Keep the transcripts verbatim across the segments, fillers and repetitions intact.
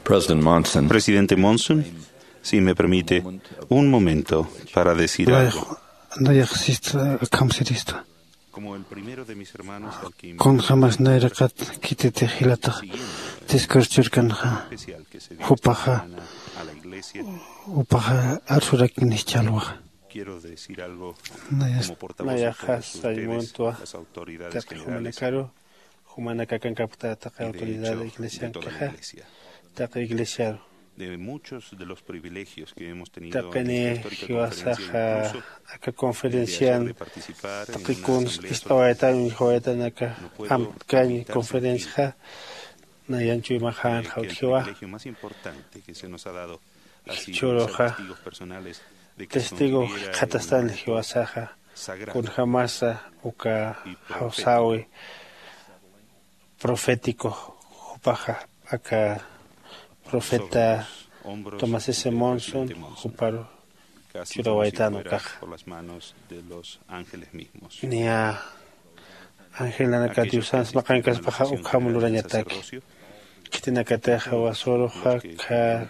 President Monson. Presidente Monson, si me permite un momento para decir algo. Nayax sista, akham sirista. Como el primero de mis hermanos al que invité, kunjämas nayraqat khititix jilatax discurso churkanxa, especial que se dio jupaxa, esta semana a la iglesia, jupaxa arsurakinis challwaxa. Quiero decir algo como portavoz de todas ustedes, las autoridades generales, jumanakaru, jumanakax akankapkta taqi autoridad iglesiankixa, taqi iglesiaru. De muchos de los privilegios que hemos tenido en esta histórica conferencia, incluso el de hacer de participar en una asamblea sobre la iglesia. Taqi kuns ist'awaytan, uñjawaytan aka amtkañ conferencia, nayan chuymaxän jawtjiwa. No puedo evitar decir que el privilegio más importante que se nos ha dado ha sido ser testigos personales de que son testigo tierra de un manto sagrado y profético. Jikxatastan jiwasaxa, kunjämasa uka jawsäwi profético, jupaxa aka profeta Tomás S. Monson, juparu churawaytan ukaxa. Niya angelanaka Diosans maqankaspaxa ukham lurañataki. Khitinakatix jiwasaruxa, akha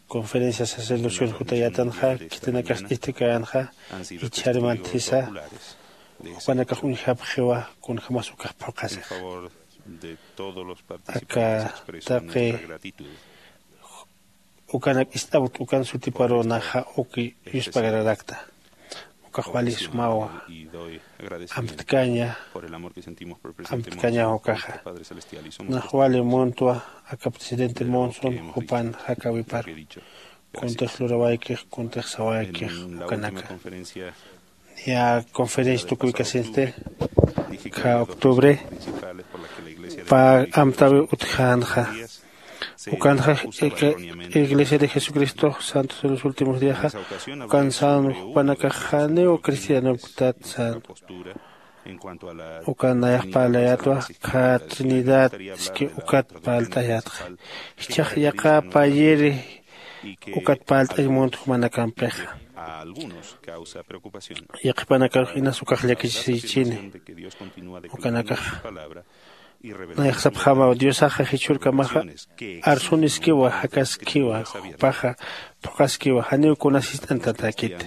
conferencia sacerdocio jutayätanxa, khitinakax ist'ikänxa, jichhar manthisa, jupanakax uñjapxiwa kunjämas ukax phuqhasixa. Aka taqi ukanak ist'awkt ukan sutiparu naxa uk yuspagararakta. Ukax wali sumawa. Amtkaña, amtkaña ukaxa. Nax wali muntwa aka presidente Monson jupan jakäwiparu. Kuntix lurawaykix, kuntix sawaykix ukanaka. Niya conferencia tukuwikasinsti, akha octubre, pä amtäwiw utjänxa. Ukanxa, Iglesia de Jesucristo Santos de los Últimos Díaxa, ukan sän jupanakax janiw cristianopktat sän. Ukan nayax parlayätwa, akha Trinidad iski ukat parlt'ayätxa. Jichhax yaqha payiri ukat parlt'añ munt jumanakampixa. Yaqhipanakarux inas ukax llakisisichini. Ukanakax nayax sapxämaw, Diosaxa jichhürkamaxa arsuniskiwa, jakaskiwa, jupaxa phuqhaskiwa, janiw kunas jist'antatäkiti.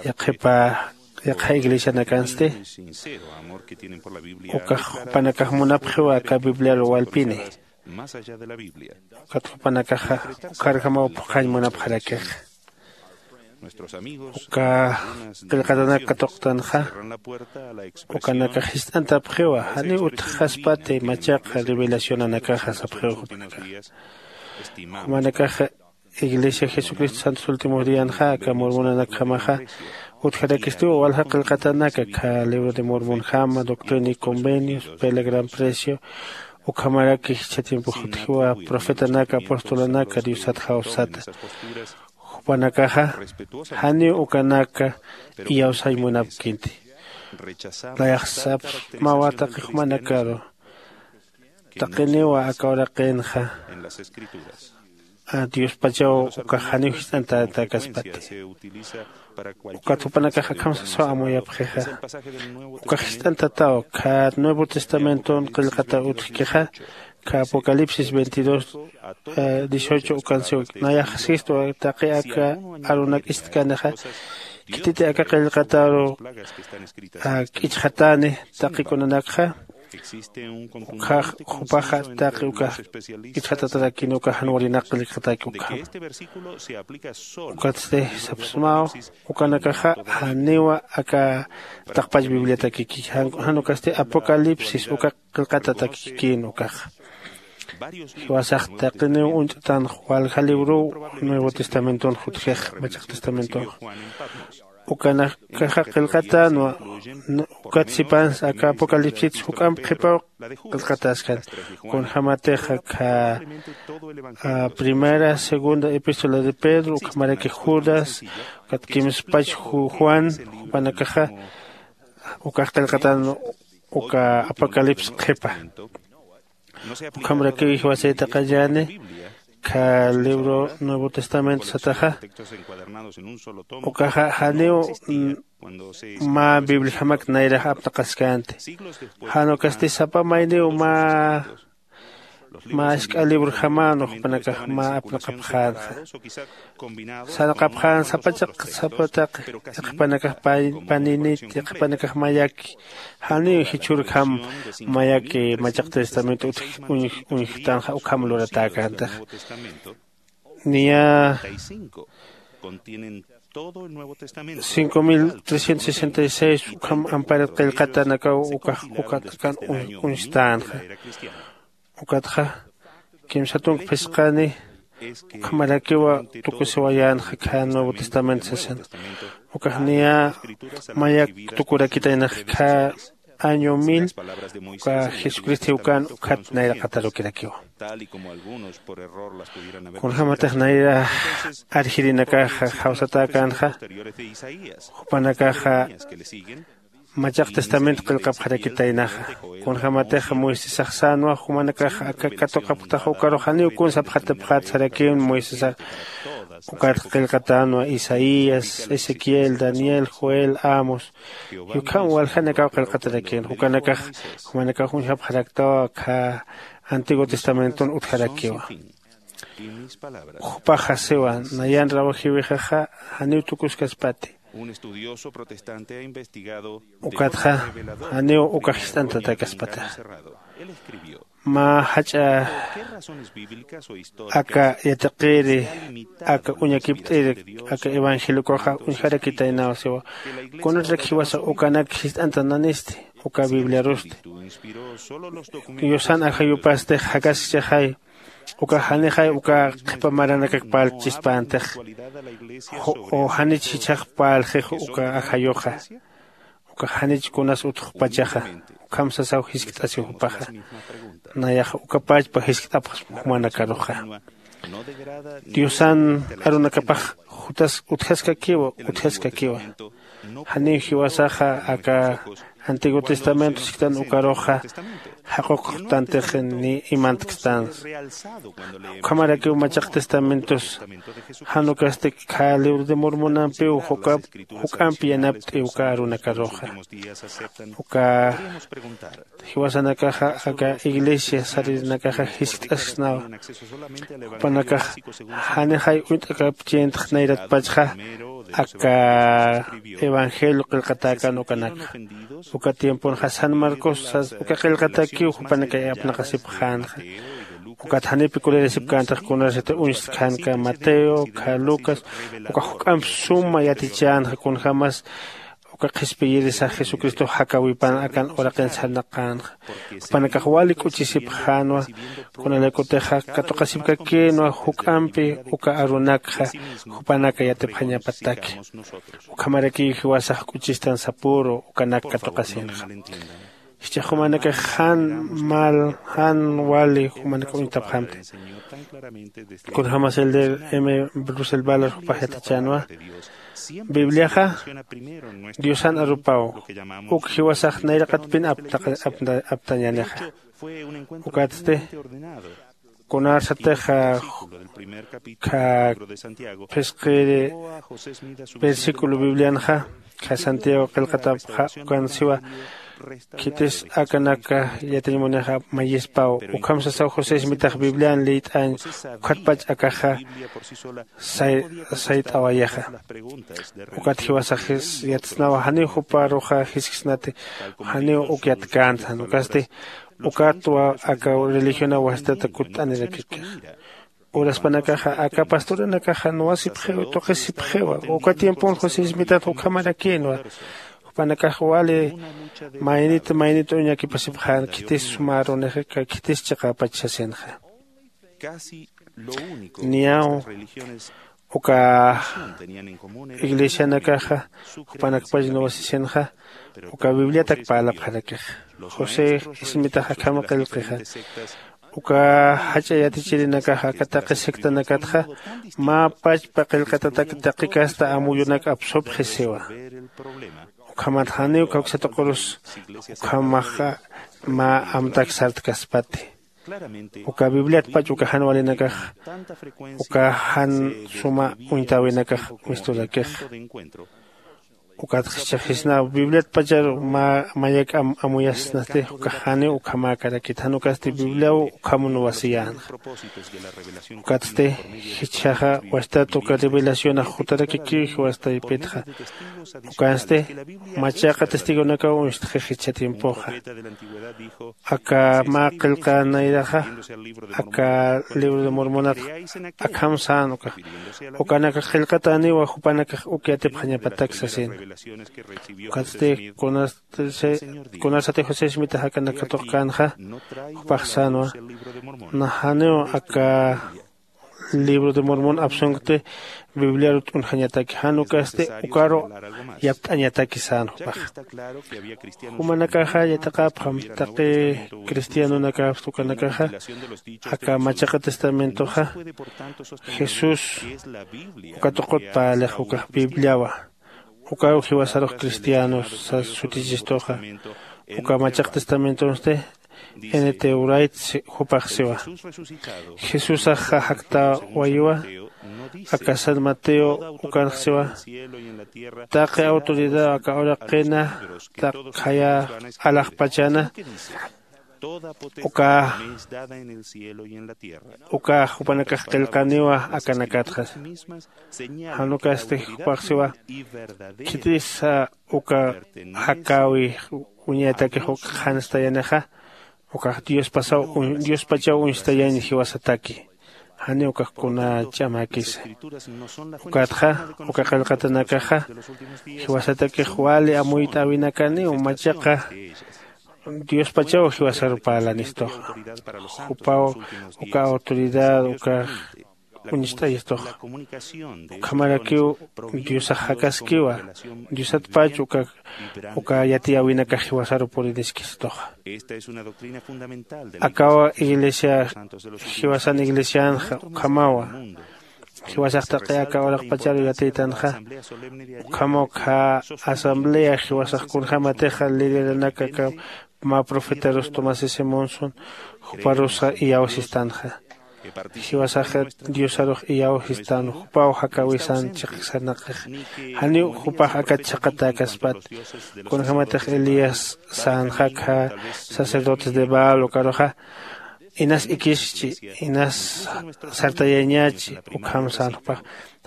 Yaqhipa, yaqha iglesianakansti ukax jupanakax munapxiwa aka Bibliaru walpini. Ukat jupanakaxa ukharjamaw phuqhañ munapxarakixa. Uka qillqatanak katuqtanxa, ukanakax jist'antapxiwa, janiw utjxaspati machaqa revelacionanakaxa sapxiw jupanakax. Jumanakaxa Iglesia Jesucristo Santos Últimos Díanxa, aka Mormonanakjamaxa, utjarakistiwa walja qillqatanaka, akha Libro de Mormonjama, Doctrina y Convenios, Vela Gran Precio, ukhamaraki jichha tiempox utjiwa, Profetanaka, Apostolanaka, Diosat Jawsata. Jupanakaxa janiw ukanaka iyawsañ munapkiti. Nayax sapxsmawa taqi jumanakaru, taqiniwa aka uraqinxa Diospachaw ukax janiw jist'antatäkaspati. Ukat jupanakax akham sasaw amuyapxixa. Ukax jist'antataw, khat Nuevo Testamenton qillqata utjkixa, kha Apocalipsis veintidós, eh, dieciocho ukansiw. Nayax sistwa taqi aka arunak ist'kanixa, khititi aka qillqataru, ah, k'ichxatani taqi kunanakxa, ukhax jupaxa taqi ukax k'ichxatatarakini ukax jan walinak qillqataki ukhama. Ukatsti sapxsmaw, ukanakaxa janiwa aka taqpach Bibliatakiki, jan, jan ukasti Apocalipsis uka qillqatatakikin ukaxa. Jiwasax taqiniw uñt'tanx walja librow Nuevo Testamentonx utjix, Machaq Testamentonx. Ukanakaxa qillqatänwa, n-, ukat sipansa aka Apocalipsis juk'amp qhipaw qillqatäskani. Kunjämatix akha, ah, primera, segunda epístola de Pedro, ukhamaraki Judas, ukat kimspach Ju-, Juan, jupanakaxa ukax qillqatän uka Apocalipsis qhipa. Ukhamrakiw jiwasay taqallani, kha libro Nuevo Testamento sataxa, ukaxa janiw, mm, mä Bibliajamak nayrax aptaqaskänti. Jan ukasti sapa mayniw mä mä isk'a librojamänwa jupanakax mä apnaqapxänxa. Sarnaqapxän sapachaq sapataq iqhipanakax paninit iqhipanakax mayaki. Janiw jichhürjam mayaki machaq testamento utj uñjtanxa ukham luratäkäntixa. Niya cinco mil trescientos sesenta y seis ukham amparat qillqatanakaw ukax ukat akan uñstänxa. Ukatxa kimsa tunka phisqani ukhamarakiwa tukusiwayänxa khä nuevo testamento sasin. Ukax niya mayak tukurakitaynax khä año mil uka jesucristo jiwkän ukhat nayraqatarukirakiwa. Kunjämatix nayra arjirinakaxa jawsatäkänxa jupanakaxa machaq testamento qillqapxarakitaynaxa. Kunjämatix moisesax sänwa jumanakax aka katuqapxtaxa ukarux janiw kun sapxatapxät sarakïn moisesax. Ukat qillqatänwa isaías, ezequiel, daniel, joel, amos, y ukham waljanakaw qillqatarakïn ukanakax jumanakax uñjapxaraktawa khä antiguo testamenton utjarakiwa. Jupaxa siwa nayan rawajiwixaxa janiw tukuskaspati. Ukatxa janiw ukax jist'antatäkaspatixa. Mä jach'a aka yatiqiri aka uñakipt'iri aka evangeliokoxa uñjarakitaynaw siwa. Kunatrak jiwasa ukanak jist'antananisti uka bibliarusti. Yusan ajayupastix jakaskchixay uka janixay uka qhipa maranakak parlchchispäntix. O janich jichhax parlxix uka ajayuxa ukax janich kunas utxpachaxa. Ukham sasaw jiskt'asiw jupaxa. Nayaxa uka pachpa jiskt'apxsma jumanakaruxa. Diosan arunakapax jutas utjaskakiwa utjaskakiwa. Janiw jiwasaxa aka antiguo testamento siktan ukaruxa jaquqtantix ni imantkstansa. Ukhamarakiw machaq testamentos jan ukasti khä libro de mormonampiw juk'ampi yanapt'i uka arunakaruxa. Uka jiwasanakaxa aka iglesia saririnakaxa jiskt'asksnawa. Jupanakax janixay uñt'akapchintx nayratpachxa aka evangelio qillqatäkän ukanakxa. Uka tiemponxa san marcos sas uka qillqatakiw jupanakay apnaqasipxänxa. Ukat janipi kulirasipkäntax kunasati uñstkänka mateo khä lucas uka juk'amp suma yatichänxa kunjämas uka qhispiyirisax jesucristox jakäwipan akan uraqin sarnaqänxa. Jupanakax wali k'uchisipxänwa. Kunalaykutixa katuqasipkakïnwa juk'ampi uka arunakxa jupanaka yatipxañapataki. Ukhamarakiw jiwasax k'uchistan sapüru ukanak katuqasinxa. Jichhax jumanakax jan mal jan wali jumanak uñtapxamti. Kunjämas el de m brusel valer jupax yatichänwa. Bibliaxa diosan arupaw uk jiwasax nayraqatpin aptañänixa. Ukatsti kunarsatixa khä phisqiri versículo biblianxa khä santiago qillqatapxa ukan siwa. Khitis akanaka yatiñ munixa mayispaw ukham sasaw josés mitax biblian liyt'añ. Ukhatpach akaxa sayt'awayixa. Ukat jiwasax yatsnawa janiw juparuxa jisksnati janiw uk yatkänti jan ukasti ukatwa aka religionaw wastata kutt'anirakikixa. Uraspanakaxa aka pastoranakaxa nuwasipxiw tuqisipxiwa. Uka tiempon josismitat ukhamarakïnwa. Jupanakax wali maynit maynit uñakipasipxän khitis sumärunixi ka khitis chiqäpach sasinxa. Niyaw uka iglesianakaxa jupanakpach nuwasisinxa uka bibliatak parlapxarakixa. José ismitax akham qillqixa. Uka jach'a yatichirinakaxa aka taqi sectanakatxa mä pachpa qillqatatak taqi casta amuyunak apsupxi siwa. Ukhamat janiw kawksa tuqurus ukhamaxa mä amtak sartkaspati. Uka bibliatpach uka jan walinakax uka jan suma uñtäwinakax misturakixa. Ukatxa jichhaxisnaw bibliatpacharu mä mayak'am amuyasnasti ukax janiw ukhamäkarakit jan ukasti bibliaw ukhamun wasiyänxa. Ukatsti jichhaxa wastat uka revelacionax jutarakikiw jiwastaypitxa. Ukansti machaq'a testigonakaw uñstxix jichha tiempoxa. Aka mä qillqänayraxa aka libro de mormonat akham sän ukax ukanakax qillqatäniwa jupanakax uk yatipxañapatak sasin. Ukatsti kunasati josé smitax akanakatuqkänxa jupax sänwa. Najaniw aka libro de mormon apsunkti bibliaru t'unjañataki jan ukasti ukaru yapt'añataki sän jupaxa. Jumanakaxa yatiqapxam taqi cristianonakapxta ukanakaxa aka machaqa testamentoxa jesús uka tuqut parlix ukax bibliawa. Ukaw jiwasarux cristianos sas sutichistuxa uka machaq testamentonsti n t wright jupax siwa. Jesusaxa jaktawayiwa aka san mateo ukanx siwa. Taqi autoridad aka uraqina taq khaya alaxpachana uka uka jupanakax qillqaniwa akanakatxa. Jan ukasti jupax siwa khitisa uka jakäwi uñatakix uk qhanstayanixa ukax diospasaw diospachaw uñstayañ jiwasataki. Janiw ukax kuna ch'amäkisa. Ukatxa uka qillqatanakaxa jiwasatakix wali amuyt'äwinakaniw machaqa diospachaw jiwasaru parlanistuxa. Jupaw uka autoridad ukax uñst'ayistuxa. Ukhamarakiw diosax jakaskiwa diosatpach uka uka yatiyäwinakax jiwasaru puriniskistuxa. Akawa iglesia jiwasan iglesianxa ukhamawa jiwasax taqi aka uraqpacharu yatiytanxa. Ukhamaw kha asamblea jiwasax kunjämatixa lideranaka aka mä profetarus tomás simonson juparusa iyawsistanxa. Jiwasaxa diosarux iyawsistan jupaw jakäwisan chiqsanaqix. Janiw jupax akat chhaqatäkaspat kunjämatix elías sänxa kha sacerdotes de baal ukaruxa inas ikischi inas sartayañachi ukham sän jupax.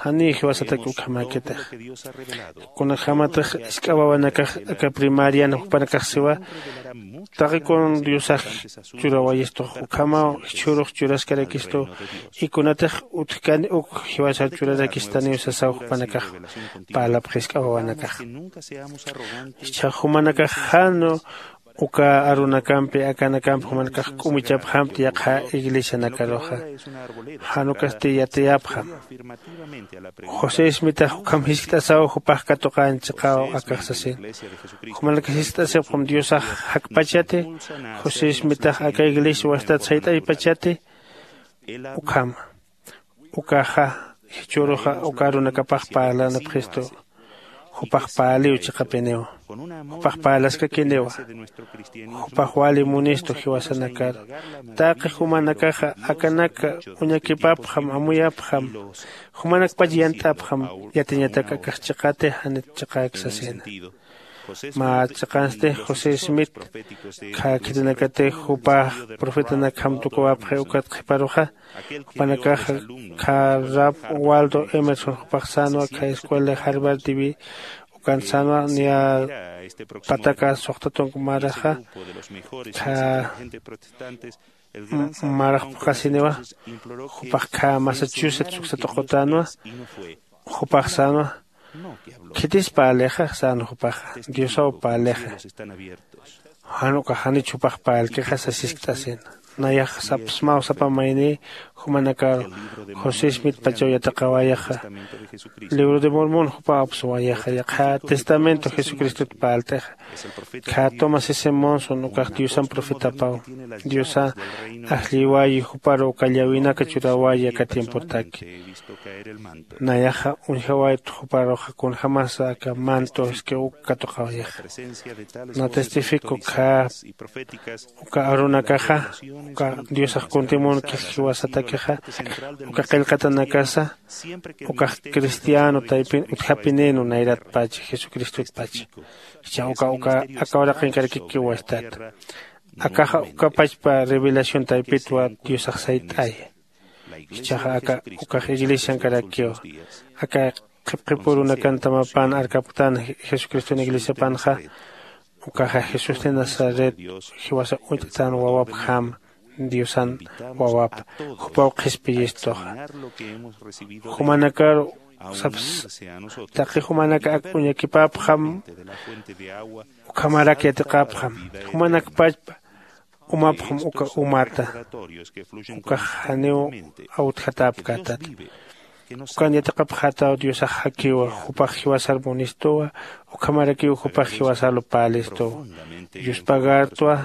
Janiw jiwasatak ukhamäkitix kunjämatix isk'a wawanakax aka primarian jupanakax siwa taqi kun diosax churawayistux ukhamaw jichhürux churaskarakistu. Y kunatix utjkani uk jiwasar churarakistaniw sasaw jupanakax parlapxi isk'a wawanakax. Jichhax jumanakax jan uka arunakampi akanakampi jumanakax k'umuchapxamti yaqha iglesianakaruxa. Jan ukasti yatiyapxam josé ismitax ukham jiskt'asaw jupax katuqän chiqaw akax sasin. Jumanakax jiskt'asipxam diosax jakpachati josé ismitax aka iglesia wastat sayt'aypachati. Ukhama ukaxa jichhüruxa uka arunakapax parlanipxistu. Jupax parliw chiqapiniwa jupax parlaskakiniwa. Jupax wali munistu jiwasanakaru taqi jumanakaxa akanaka uñakipapxam amuyapxam jumanakpach yant'apxam yatiñatak akax chiqati janit chiqäk sasina. Mä chiqansti josé smith khä khitinakatix jupax profetanakjam tukuwapxi ukat qhiparuxa jupanakaxa khä rab waldo emerson jupax sänwa khä escuela harvard tv ukan sänwa niya pataka suxta tunka maraxa khä marax phuqhasiniwa. Jupax khä massachusetts uksa tuqutänwa. Jupax sänwa khitis parlixa sän jupaxa diosaw parlixa. Jan ukax janich jupax parlkixa sasiskt'asina. Nayax sapsmaw sapa mayni jumanakaru josé smithpachaw yatiqawayaxa. Libro de mormon jupaw apsuwayaxa yaqha testamento jesucristot parlt'ixa. Khä tomás simonson ukax diosan profetapaw diosa ajlliwayi juparu uka llawinaka churäwayi aka tiempotaki. Nayaxa uñjawayt juparuxa kunjämasa aka manto iski uk katuqawayaxa. Na testifico khä uka arunakaxa Uka diosax kuntimunkix jiwasatakixa uka qillqatanakasa ukax cristiano taypin utjapinïnw nayratpach jesucristotpach. Jichhax uka uka aka uraqinkarakik jiwastat. Akaxa ukapachpa revelación taypitwa diosax sayt'ay. Jichhaxa aka ukax iglesiankarakiw aka qhipqhipürunakan tamapan arkapktän jesucriston iglesiapanxa. Ukaxa jesús de nazaret jiwasa uñt'tan wawapjam diosan wawap jupaw qhispiyistuxa. Jumanakar saps taqi jumanaka ak uñakipapxam ukhamarak yatiqapxam jumanakpachpa umapxam uka umata ukax janiw awtjatäpkätata. Ukan yatiqapxätaw diosax jakiwa jupax jiwasar munistuwa ukhamarakiw jupax jiwasarlu pälistuwa. Yuspagartwa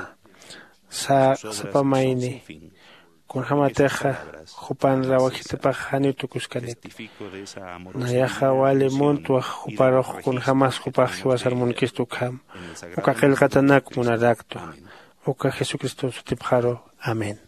sä sapa mayni kunjämatixa jupan rawajitapax janiw tukuskaniti. Nayaxa wali muntwa juparux kunjämas jupax jiwasar munkistu ukham uka qillqatanak munaraktwa. Uka jesucriston sutipxaru. Amén.